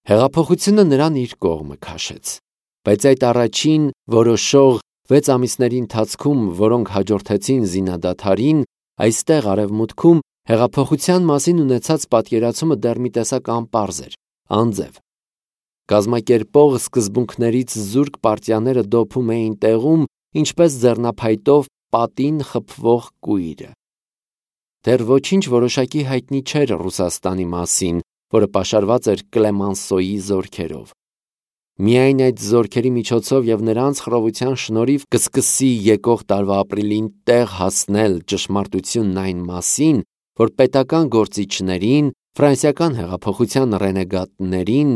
Հեղափոխությունը նրան իր կողմը քաշեց, բայց այդ առաջին որոշող 6 ամիսների ընթացքում, որոնք հաջորդեցին զինադադարին, այստեղ արևմուտքում հեղափոխության մասին ունեցած պատկերացումը դեռ մի տեսակ անպարզ էր, անձև։ Կազմակերպող սկզբունքներից զուրկ պարտիաները դոփում էին տեղում, ինչպես ձեռնափայտով պատին խփվող կույրը։ Դեռ ոչինչ որոշակի հայտնի չէր Ռուսաստանի մասին, որը պաշարված էր Կլեմանսոյի զորքերով։ Միայն այդ զորքերի միջոցով և նրանց խռովության շնորհիվ կսկսի եկող տարվա ապրիլին տեղ հասնել ճշմարտությունն այն մասին, որ պետական գործիչներին, ֆրանսիական հեղափոխության ռենեգատներին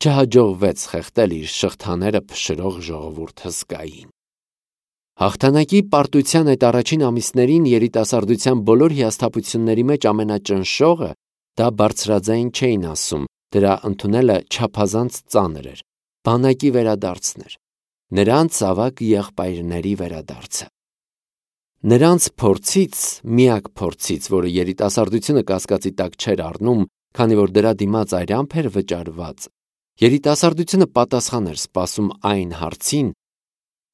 չհաջողվեց խեղդել իր շղթաները փշրող ժողովուրդ հսկային։ Հաղթանակի պարտության այդ առաջին ամիսներին երիտասարդության բոլոր հիասթափությունների մեջ ամենաճնշողը դա բարձրաձայն չէին ասում, դրա ընդունելը չափազանց ծանր էր, բանակի վերադարձն էր, նրանց ավագ եղբայրների վերադարձը։ Նրանց փորձից, միակ փորձից, որը երիտասարդությունը կասկածի տակ չէր առնում, քանի որ դրա դիմաց այրամփ էր վճարված, երիտասարդությունը պատասխան էր սպասում այն հարցին,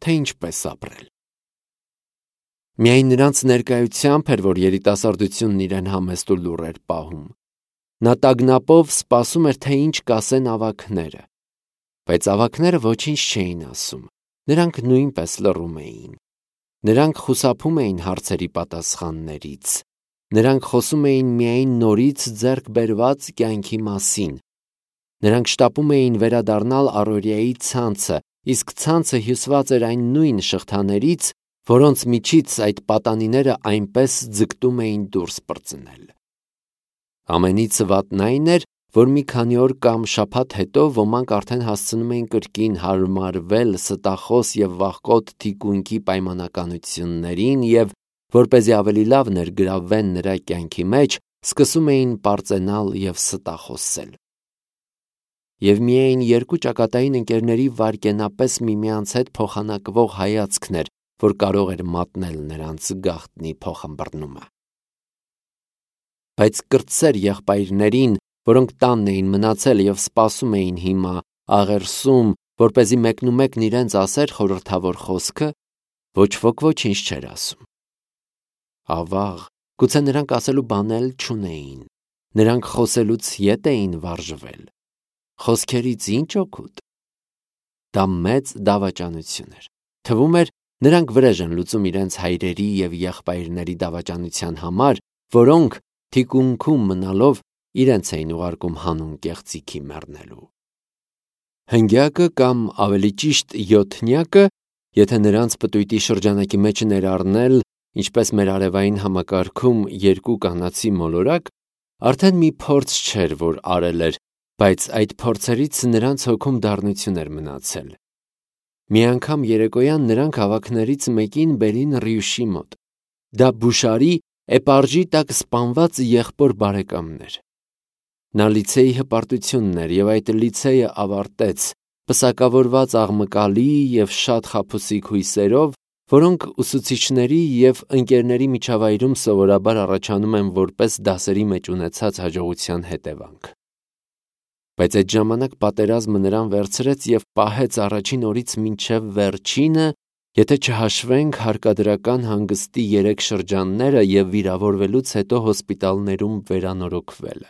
թե ինչպես ապրել։ Միայն նրանց ներկայությամբ էր, որ երիտասարդությունն իրեն համեստ ու լուռ էր պահում։ Նա տագնապով սպասում էր, թե ինչ կասեն ավագները։ Բայց ավագները ոչինչ չէին ասում, նրանք նույնպես լռում էին։ Նրանք խուսափում էին հարցերի պատասխաններից։ Նրանք խոսում էին միայն նորից ձեռք բերված կյանքի մասին։ Նրանք շտապում էին վերադառնալ առօրյայի ցանցը, իսկ ցանցը հյուսված էր այն նույն շղթաներից, որոնց միջից այդ պատանիները այնպես ձգտում էին դուրս պրծնել։ Ամենից վատն այն էր, որ մի քանի օր կամ շաբաթ հետո ոմանք արդեն հասցնում էին կրկին հարմարվել ստախոս և վախկոտ թիկունքի պայմանականություններին և, որպեսզի ավելի լավ ներգրավվեն նրա կյանքի մեջ, սկսում էին պարծենալ և ստախոսել։ Եվ միայն երկու ճակատային ընկերների վայրկենապես միմյանց հետ փոխանակվող հայացքն էր, որ կարող էր մատնել նրանց գաղտնի փոխըմբռնումը։ Բայց կրտսեր եղբայրներին, որոնք տանն էին մնացել և սպասում էին հիմա աղերսում, որպեսզի մեկնումեկն իրենց ասեր խորհրդավոր խոսքը, ոչ ոք ոչինչ չէր ասում։ Ավաղ, գուցե նրանք ասելու բան էլ չունեին։ Նրանք խոսելուց ետ էին վարժվել։ Խոսքերից ինչ օգուտ։ Դա մեծ դավաճանություն էր։ Թվում էր, նրանք վրեժ են լուծում իրենց հայրերի և եղբայրների դավաճանության համար, որոնք թիկունքում մնալով իրենց էին ուղարկում հանուն կեղծիքի մեռնելու։ Հնգյակը կամ ավելի ճիշտ յոթնյակը, եթե նրանց պտույտի շրջանակի մեջ ներառնել, ինչպես մեր արևային համակարգում երկու կանացի մոլորակ, արդեն մի փորձ չէր, որ արել էր, բայց այդ փորձերից նրանց հոգում դառնություն էր մնացել։ Մի անգամ երեկոյան նրանք ավագներից մեկին բերին Ռյուշի մոտ։ Դա Բուշարի էպարժի տակ սպանված եղբոր բարեկամն էր։ Նա լիցեի հպարտությունն էր և այդ լիցեյը ավարտեց, պսակավորված աղմկալի և շատ խաբուսիկ հույսերով, որոնք ուսուցիչների և ընկերների միջավայրում սովորաբար առաջանում են որպես դասերի մեջ ունեցած հաջողության հետևանք։ Բայց այդ ժամանակ պատերազմը նրան վերցրեց և պահեց առաջին օրից մինչև վերջինը, եթե չհաշվենք հարկադրական հանգստի 3 շրջանները և վիրավորվելուց հետո հոսպիտալներում վերանորոգվելը։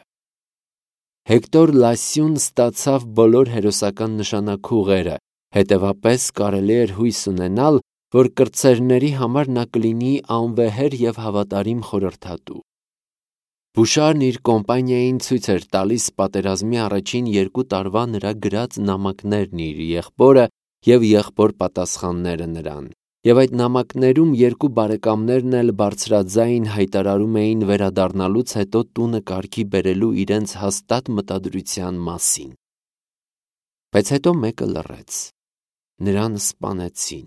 Հեկտոր Լասյուն ստացավ բոլոր հերոսական նշանաքուղերը, հետևապես կարելի էր հույս ունենալ, որ կրտսերների համար նա կլինի անվեհեր և հավատարիմ խորհրդատու։ Բուշարն իր կոմպանիային ցույց էր տալիս պատերազմի առաջին 2 տարվա նրա գրած նամակներն իր եղբորը և եղբոր պատասխանները նրան, և այդ նամակներում 2 բարեկամներն էլ բարձրաձայն հայտարարում էին վերադառնալուց հետո տունը կարգի բերելու իրենց հաստատ մտադրության մասին։ Բայց հետո մեկը լռեց։ Նրան սպանեցին,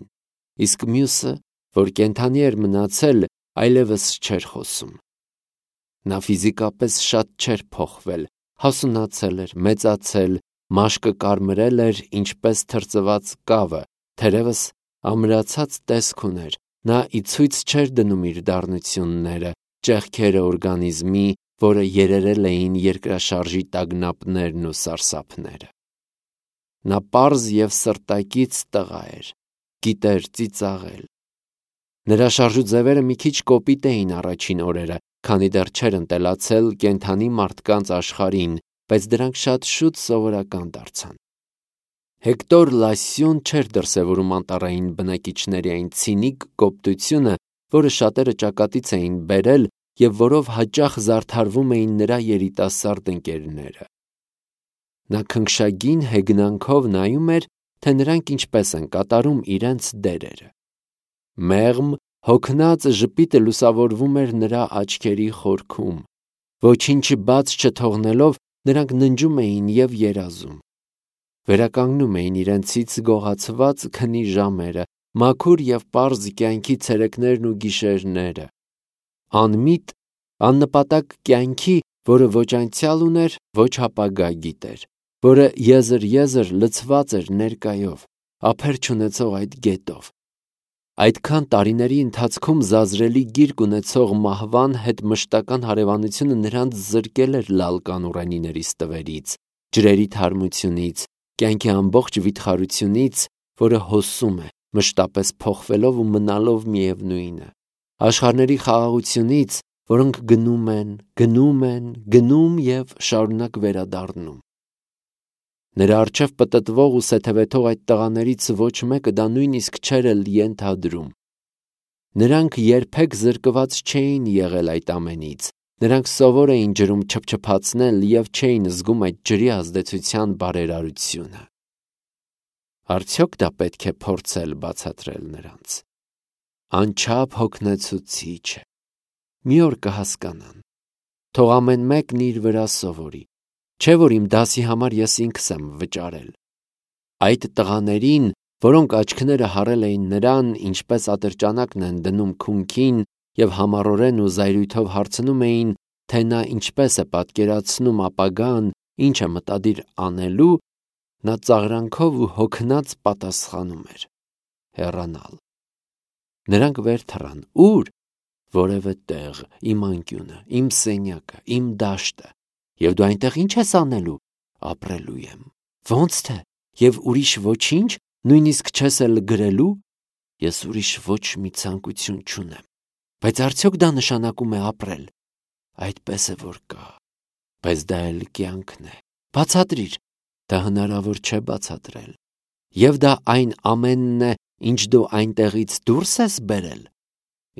իսկ մյուսը, որ կենդանի էր մնացել, այլևս չէր խոսում։ Նա ֆիզիկապես շատ չէր փոխվել, հասունացել էր, մեծացել, մաշկը կարմրել էր, ինչպես թրծված կավը, թերևս ամրացած տեսք ուներ, նա ի ցույց չէր դնում իր դառնությունները, ճեղքերը օրգանիզմի, որը երերել էին երկրաշարժի տագնապներն ու սարսափները։ Նա պարզ և սրտակից տղա էր, գիտեր ծիծաղել։ Նրա շարժուձևերը մի քիչ կոպիտ էին առաջին օրերը, քանի դեռ չէր ընտելացել կենդանի մարդկանց աշխարհին, բայց դրանք շատ շուտ սովորական դարձան։ Հեկտոր Լասյոն չէր դրսևորում անտառային բնակիչների այն ցինիկ կոպտությունը, որը շատերը ճակատից էին բերել և որով հաճախ զարդարվում էին նրա երիտասարդ ընկերները։ Նա քնքշագին հեգնանքով նայում էր, թե նրանք ինչպես են կատարում իրենց դերերը։ Մեղմ, հոգնած ժպիտը լուսավորվում էր նրա աչքերի խորքում։ Ոչինչ բաց չթողնելով, նրանք ննջում էին և երազում։ Վերականգնում էին իրենցից գողացված քնի ժամերը, մաքուր և պարզ կյանքի ցերեկներն ու գիշերները։ Անմիտ, աննպատակ կյանքի, որը ոչ անցյալ ուներ, ոչ ապագա գիտեր, որը եզր լցված էր ներկայով, ափեր չունեցող այդ գետով։ Այդքան տարիների ընթացքում զազրելի գիրկ ունեցող մահվան հետ մշտական հարևանությունը նրանց զրկել էր լալկան ուռենիների ստվերից, ջրերի թարմությունից, կյանքի ամբողջ վիթխարությունից, որը հոսում է, մշտապես փոխվելով ու մնալով միևնույնը, աշխարհների խաղաղությունից, որոնք գնում և շարունակ վերադառնում։ Նրա առջև պտտվող ու սեթևեթող այդ տղաներից ոչ մեկը դա նույնիսկ չէր էլ ենթադրում։ Նրանք երբեք զրկված չէին եղել այդ ամենից, նրանք սովոր էին ջրում չփչփացնել և չէին զգում այդ ջրի ազդեցության բարերարությունը։ Արդյոք դա պետք է փորձել բացատրել նրանց։ Անչափ հոգնեցուցիչ է։ Մի օր կհասկանան։ Թող ամեն մեկն իր վրա սովորի։ Չէ՞ որ իմ դասի համար ես ինքս եմ վճարել։ Այդ տղաներին, որոնք աչքները հառել էին նրան, ինչպես ատրճանակն են դնում քունքին և համառորեն ու զայրույթով հարցնում էին, թե նա ինչպես է պատկերացնում ապագան, ինչ է մտադիր անելու, նա ծաղրանքով ու հոգնած պատասխանում էր. հեռանալ։ Նրանք վեր թռան։ Ո՞ւր։ Որևէ տեղ, իմ անկյունը, իմ սենյակը, իմ դաշտը։ Եվ դու այնտեղ ի՞նչ ես անելու։ Ապրելու եմ։ Ո՞նց թե։ Եվ ուրիշ ոչինչ, նույնիսկ չես էլ գրելու։ Ես ուրիշ ոչ մի ցանկություն չունեմ։ Բայց արդյոք դա նշանակում է ապրել։ Այդպես է որ կա։ Բայց դա էլ կյանքն է։ Բացատրիր։ Դա հնարավոր չէ բացատրել։ Եվ դա այն ամենն է, ինչ դու այնտեղից դուրս ես բերել։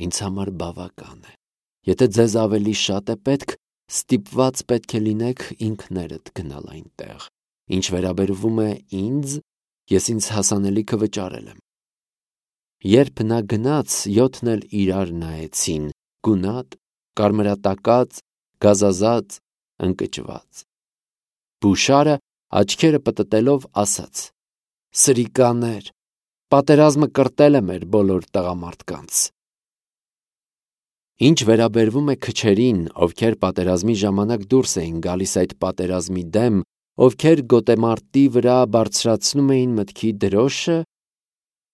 Ինձ համար բավական է։ Եթե ձեզ ավելի շատ է պետք, ստիպված պետք է լինեք ինքներդ գնալ այնտեղ։ Ինչ վերաբերվում է ինձ, ես ինձ հասանելիքը վճարել եմ։ Երբ նա գնաց, 7-ն էլ իրար նայեցին, գունատ, կարմրատակած, գազազած, ընկճված։ Բուշարը աչքերը պտտելով ասաց. Սրիկաներ, պատերազմը կրտել է մեր բոլոր տղամարդկանց։ Ինչ վերաբերվում է քչերին, ովքեր պատերազմի ժամանակ դուրս էին գալիս այդ պատերազմի դեմ, ովքեր գոտեմարտի վրա բարձրացնում էին մտքի դրոշը,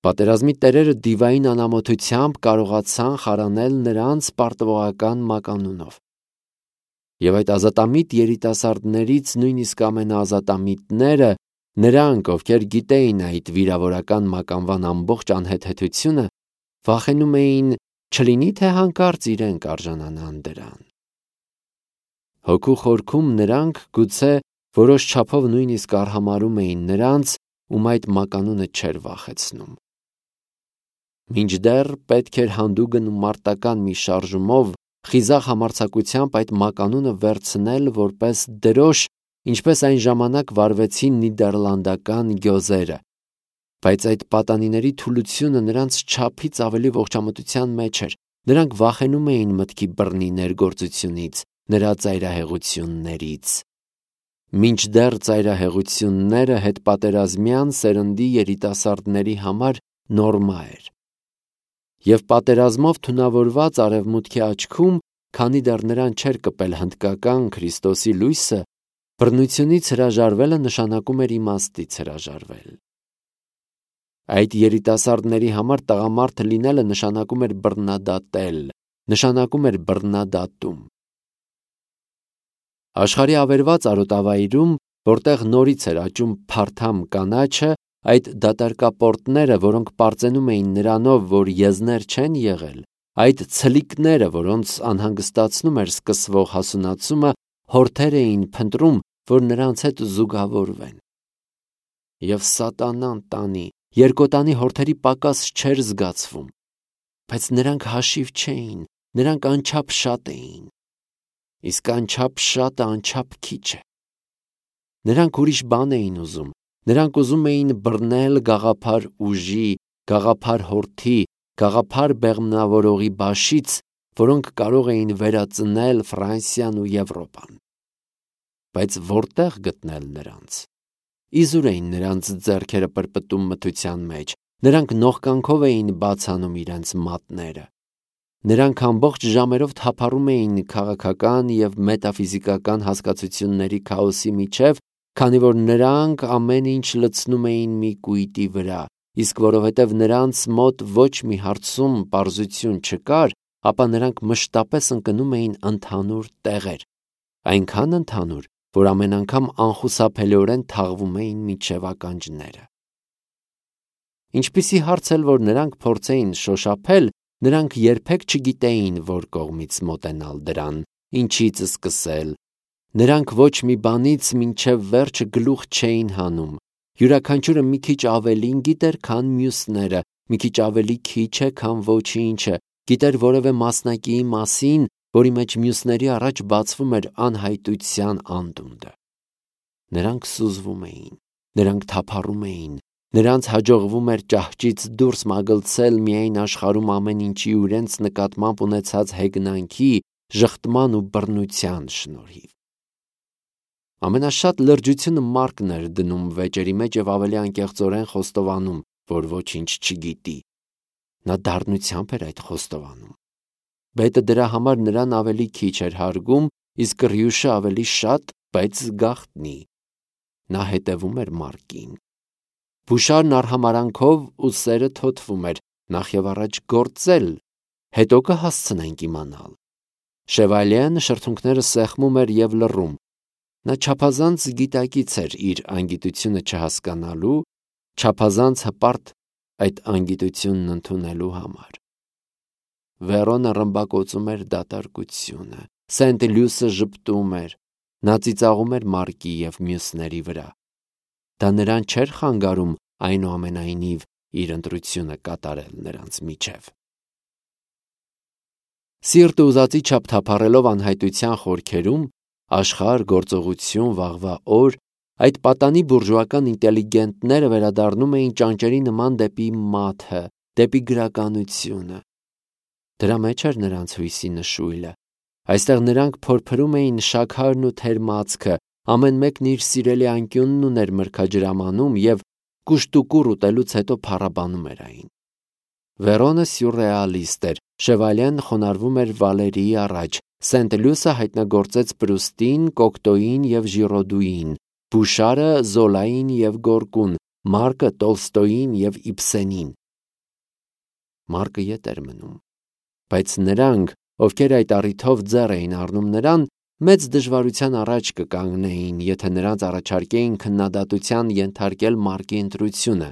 պատերազմի տերերը դիվային անամոթությամբ կարողացան խարանել նրանց պարտվողական մականունով։ Եվ այդ ազատամիտ երիտասարդներից նույնիսկ ամենաազատամիտները, նրանք, ովքեր գիտեին այդ վիրավորական մականվան ամբողջ անհեթեթությունը, վախենում էին, չլինի թե հանկարծ իրենք արժանանան դրան։ Հոգու խորքում նրանք գուցե որոշ չափով նույնիսկ արհամարհում էին նրանց, ում այդ մականունը չէր վախեցնում։ Մինչդեռ պետք էր հանդուգն ու մարտական մի շարժումով խիզախ համարձակությամբ այդ մականունը վերցնել որպես դրոշ, ինչպես այն ժամանակ վարվեցին նիդերլանդական գյոզերը, բայց այդ պատանիների թուլությունը նրանց չափից ավելի ողջամտության մեջ էր, նրանք վախենում էին մտքի բռնի ներգործությունից, նրա ծայրահեղություններից։ Մինչդեռ ծայրահեղությունները հետպատերազմյան սերնդի երիտասարդների համար նորմա էր։ Եվ պատերազմով թունավորված արևմուտքի աչքում, քանի դեռ նրան չէր կպել հնդկական Քրիստոսի լույսը, բռնությունից հրաժարվելը նշանակում էր իմաստից հրաժարվել։ Այդ երիտասարդների համար տղամարդ լինելը նշանակում էր բռնադատել, նշանակում էր բռնադատում։ Աշխարհի ավերված արոտավայրում որտեղ նորից էր աճում փարթամ կանաչը, այդ դատարկապորտները, որոնք պարծենում էին նրանով, որ եզներ չեն եղել, այդ ցլիկները, որոնց անհանգստացնում էր սկսվող հասունացումը, հորթեր էին փնտրում, որ նրանց հետ զուգավորվեն։ Եվ սատանան տանի, երկոտանի հորթերի պակաս չէր զգացվում, բայց նրանք հաշիվ չէին, նրանք անչափ շատ էին։ Իսկ անչափ շատը անչափ քիչ է։ Նրանք ուրիշ բան էին ուզում, նրանք ուզում էին բռնել գաղափար ուժի, գաղափար հորթի, գաղափար բեղմնավորողի բաշից, որոնք կարող էին վերածնել Ֆրանսիան ու Եվրոպան։ Բայց որտեղ գտնել նրանց։ Իզուր էին նրանց ձեռքերը պրպտում մթության մեջ, նրանք նողկանքով էին բացանում իրենց մատները։ Նրանք ամբողջ ժամերով թափառում էին քաղաքական և մետաֆիզիկական հասկացությունների քաոսի միջև, քանի որ նրանք ամեն ինչ լցնում էին մի կույտի վրա, իսկ որովհետև նրանց մոտ ոչ մի հարցում պարզություն չկար, ապա նրանք մշտապես ընկնում էին ընդհանուր տեղեր, այնքան ընդհանուր, որ ամեն անգամ անխուսափելիորեն թաղվում էին մինչև ականջները։ Ինչպիսի հարց էլ որ նրանք փորձեին շոշափել, նրանք երբեք չգիտեին, որ կողմից մոտենալ դրան, ինչից սկսել։ Նրանք ոչ մի բանից մինչև վերջը գլուխ չէին հանում։ Յուրաքանչյուրը մի քիչ ավելին գիտեր, քան մյուսները, մի քիչ ավելի քիչ է, քան ոչինչը, գիտեր որևէ մասնակիի մասին, որի մեջ մյուսների առաջ բացվում էր անհայտության անդունդը։ Նրանք սուզվում էին, նրանք թափառում էին, նրանց հաջողվում էր ճահճից դուրս մագլցել միայն աշխարհում ամեն ինչի ու իրենց նկատմամբ ունեցած հեգնանքի, ժխտման ու բռնության շնորհիվ։ Ամենաշատ լրջությունը Մարկն էր դնում վեճերի մեջ և ավելի անկեղծորեն խոստովանում, որ ոչինչ չգիտի։ Նա դառնությամբ էր այդ խոստովանում։ Բետը դրա համար նրան ավելի քիչ էր հարգում, իսկ Ռյուշը ավելի շատ, բայց գաղտնի։ Նա հետևում էր Մարկին։ Բուշարն արհամարանքով ու սերը թոթվում էր, նախ և առաջ գործել, հետո կհասցնենք իմանալ։ Շևալյեն շրթունքները սեղմում էր և լռում։ Նա չափազանց գիտակից էր իր անգիտությունը չհասկանալու, չափազանց հպարտ այդ անգիտությունն ընդունելու համար։ Վերոնը ռմբակոծում էր դատարկությունը, Սենտ Լյուսը ժպտում էր, նա ծիծաղում էր Մարկի և մյուսների վրա։ Դա նրան չէր խանգարում այնուամենայնիվ իր ընտրությունը կատարել նրանց միջև։ Սիրտը ուզածի չափ թափառելով անհայտության խորքերում, աշխարհ, գործողություն, վաղվա օր, այդ պատանի բուրժուական ինտելիգենտները վերադառնում էին ճանճերի նման դեպի մաթը, դեպի գրականությունը։ Դրա մեջ էր նրանց հույսի նշույլը։ Այստեղ նրանք փորփրում էին շաքարն ու թերմացքը, ամեն մեկն իր սիրելի անկյունն ուներ մրգաջրամանում և կուշտուկուռ ուտելուց հետո փառաբանում էր այն։ Վերոնը սյուրռեալիստ էր, Շևալյեն խոնարհվում էր Վալերիի առաջ, Սենտ Լյուսը հայտնագործեց Պրուստին, Կոկտոյին և Ժիրոդուին, Բուշարը Զոլային և Գորկուն, Մարկը Տոլստոյին և Իբսենին։ Մարկը ետ էր մնում, բայց նրանք, ովքեր այդ առիթով ձեռ էին առնում նրան, մեծ դժվարության առաջ կկանգնեին, եթե նրանց առաջարկեին քննադատության ենթարկել Մարկի ընտրությունը։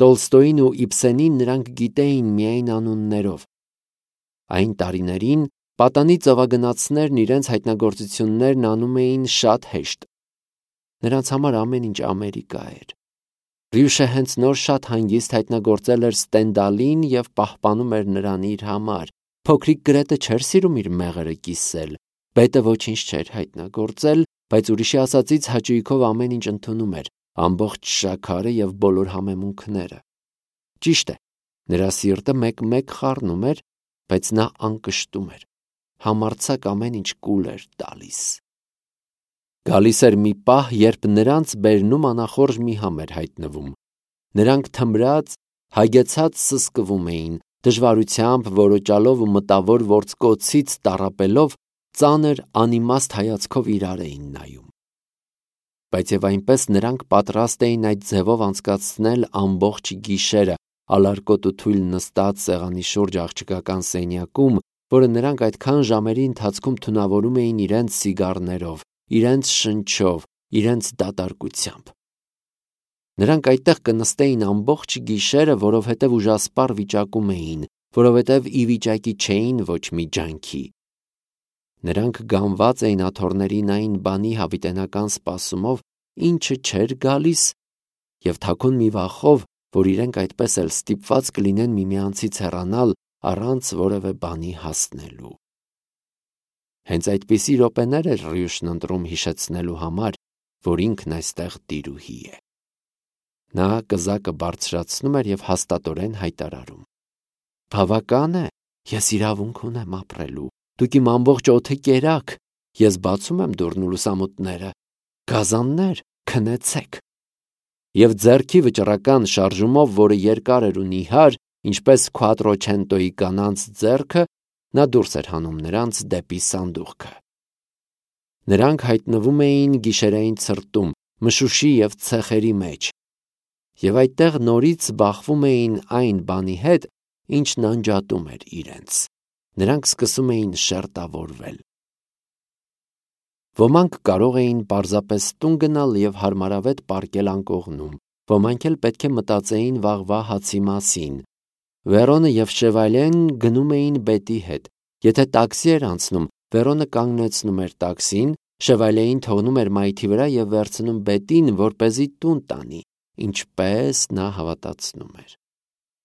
Տոլստոյին ու Իբսենին նրանք գիտեին միայն անուններով։ Այն տարիներին պատանի ծովագնացներն իրենց հայտնագործություններն անում էին շատ հեշտ։ Նրանց համար ամեն ինչ Ամերիկա էր։ Ռյուշը հենց նոր շատ հանգիստ հայտնագործել էր Ստենդալին և պահպանում էր նրան իր համար։ Փոքրիկ Գրետը չէր սիրում իր մեղրը կիսել։ Բետը ոչինչ չէր հայտնագործել, բայց ուրիշի ասածից հաճույքով ամեն ինչ ընդունում էր, ամբողջ շաքարը և բոլոր համեմունքները։ Ճիշտ է, նրա սիրտը մեկ-մեկ խառնում էր, բայց նա անկշտում էր։ Համարձակ ամեն ինչ կուլ էր տալիս։ Գալիս էր մի պահ, երբ նրանց բերնում անախորժ մի համ էր հայտնվում։ Նրանք թմրած, հագեցած սսկվում էին, դժվարությամբ, որոճալով ու մտավոր ворցկոցից տառապելով, ծանր անիմաստ հայացքով իրար էին նայում։ Բայց և այնպես նրանք պատրաստ էին այդ ձևով անցկացնել ամբողջ գիշերը, ալարկոտ ու թույլ նստած սեղանի շուրջ աղջկական սենյակում, որը նրանք այդքան ժամերի ընթացքում թունավորում էին իրենց սիգարներով, իրենց շնչով, իրենց դատարկությամբ։ Նրանք այդտեղ կնստեին ամբողջ գիշերը, որովհետև ուժասպառ վիճակում էին, որովհետև ի վիճակի չէին ոչ մի ջանքի։ Նրանք գանված էին աթոռներին այն բանի հավիտենական սպասումով, ինչը չէր գալիս, և թաքուն մի վախով, որ իրենք այդպես էլ ստիպված կլինեն միմյանցից հեռանալ առանց որևէ բանի հասնելու։ Հենց այդպիսի րոպեներ էր Ռյուշն ընտրում հիշեցնելու համար, որ ինքն այստեղ տիրուհի է։ Նա կզակը բարձրացնում էր և հաստատորեն հայտարարում. «Բավական է, ես իրավունք ունեմ ապրելու, դուք իմ ամբողջ օդը կերաք, ես բացում եմ դուռն ու լուսամուտները, գազաններ, քնեցեք»։ Եվ ձեռքի վճռական շարժումով, որը երկար էր ու նիհար, ինչպես Քվատրոչենտոյի կանանց ձեռքը, նա դուրս էր հանում նրանց դեպի սանդուղքը։ Նրանք հայտնվում էին գիշերային ցրտում, մշուշի և ցեխերի մեջ, և այդտեղ նորից բախվում էին այն բանի հետ, ինչն անջատում էր իրենց։ Նրանք սկսում էին շերտավորվել։ Ոմանք կարող էին պարզապես տուն գնալ և հարմարավետ պառկել անկողնում, ոմանք էլ պետք է մտածեին վաղվա հացի մասին։ Վերոնը և Շևալեն գնում էին բետի հետ։ Եթե տաքսի էր անցնում, Վերոնը կանգնեցնում էր տաքսին, Շևալեին թողնում էր մայթի վրա և վերցնում բետին, որպեսզի տուն տանի, ինչպես նա հավատացնում էր։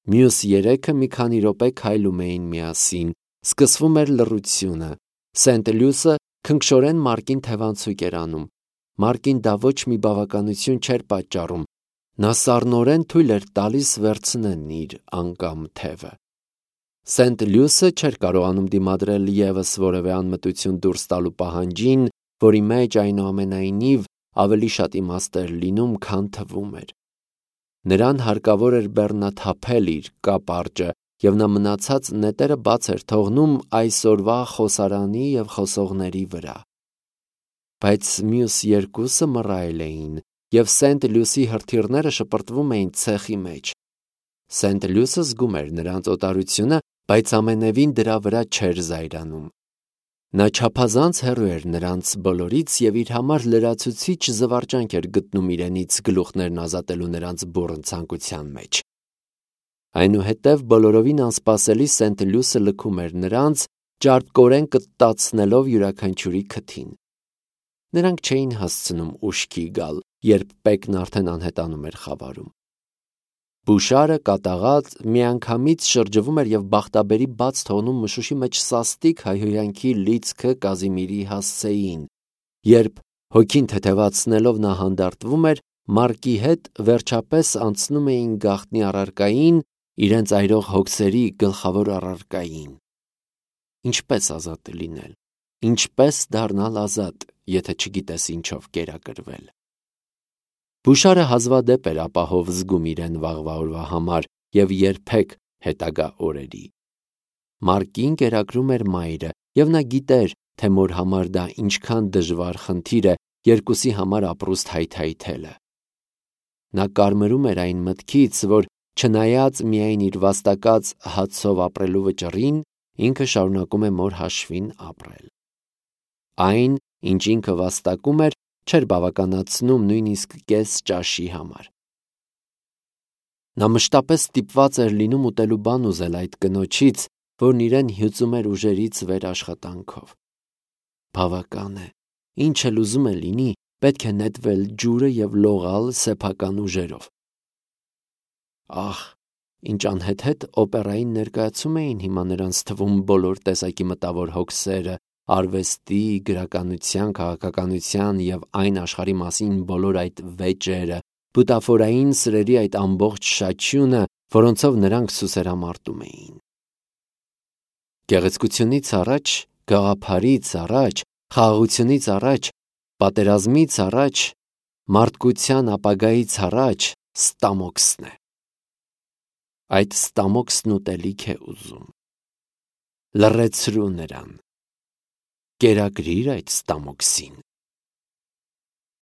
Մյուս երեքը մի քանի րոպե քայլում էին միասին, սկսվում էր լռությունը։ Սենտ-Լյուսը քնքշորեն Մարկին թևանցուկ էր անում։ Մարկին դա ոչ մի բավականություն չէր պատճառում։ Նա սառնորեն թույլ էր տալիս վերցնեն իր անկամ թևը։ Սենտ-Լյուսը չէր կարողանում դիմադրել ևս որևէ անմտություն դուրս տալու պահանջին, որի մեջ այնուամենայնիվ ավելի շատ իմաստ էր լինում, քան թվում էր։ Նրան հարկավոր էր բեռնաթափել իր կապարճը, և նա մնացած նետերը բաց էր թողնում այսօրվա խոսարանի և խոսողների վրա։ Բայց մյուս երկուսը մռայլ էին, և Սենտ-Լյուսի հրթիռները շպրտվում էին ցեխի մեջ։ Սենտ-Լյուսը զգում էր նրանց օտարությունը, բայց ամենևին դրա վրա չէր զայրանում։ Նա չափազանց հեռու էր նրանց բոլորից և իր համար լրացուցիչ զվարճանք էր գտնում իրենից գլուխներն ազատելու նրանց բուռն ցանկության մեջ։ Այնուհետև բոլորովին անսպասելի Սենտ-Լյուսը լքում էր նրանց, ճարպկորեն կտտացնելով յուրաքանչյուրի քթին։ Նրանք չէին հասցնում ուշքի գալ, երբ պեկն արդեն անհետանում էր խավարում։ Բուշարը կատաղած միանգամից շրջվում էր և բախտաբերի բաց թողնում մշուշի մեջ սաստիկ հայհոյանքի լիցքը Կազիմիրի հասցեին, երբ հոգին թեթևացնելով նա հանդարտվում էր, Մարկի հետ վերջապես անցնում էին գաղտնի առարկային, իրենց այրող հոգսերի գլխավոր առարկային։ Ինչպե՞ս ազատ լինել, ինչպե՞ս դառնալ ազատ, եթե չգիտես ինչով կերակրվել։ Բուշարը հազվադեպ էր ապահով զգում իրեն վաղվա օրվա համար և երբեք հետագա օրերի։ Մարկին կերակրում էր մայրը, և նա գիտեր, թե մոր համար դա ինչքան դժվար խնդիր է երկուսի համար ապրուստ հայթայթելը։ Նա կարմրում էր այն մտքից, որ չնայած միայն իր վաստակած հացով ապրելու վճռին, ինքը շարունակում է մոր հաշվին ապրել։ Այն, ինչ ինքը վաստակում էր, չէր բավականացնում նույնիսկ կես ճաշի համար։ Նա մշտապես ստիպված էր լինում ուտելու բան ուզել այդ կնոջից, որն իրեն հյուծում էր ուժերից վեր աշխատանքով։ Բավական է, ինչ էլ ուզում է լինի, պետք է նետվել ջուրը և լողալ սեփական ուժերով։ Ահ, ինչ անհեթեթ օպերային ներկայացում էին հիմա նրանց թվում բոլոր տեսակի մտավոր հոգսերը, արվեստի, գրականության, քաղաքականության և այն աշխարհի մասին բոլոր այդ վեճերը, բուտաֆորային սրերի այդ ամբողջ շաչյունը, որոնցով նրանք սուսերամարտում էին։ Գեղեցկությունից առաջ, գաղափարից առաջ, խաղաղությունից առաջ, պատերազմից առաջ, մարդկության ապագայից առաջ Ստամոքսն է։ Այդ Ստամոքսն ուտելիք է ուզում։ Լռեցրու նրան։ Կերակրիր այդ Ստամոքսին։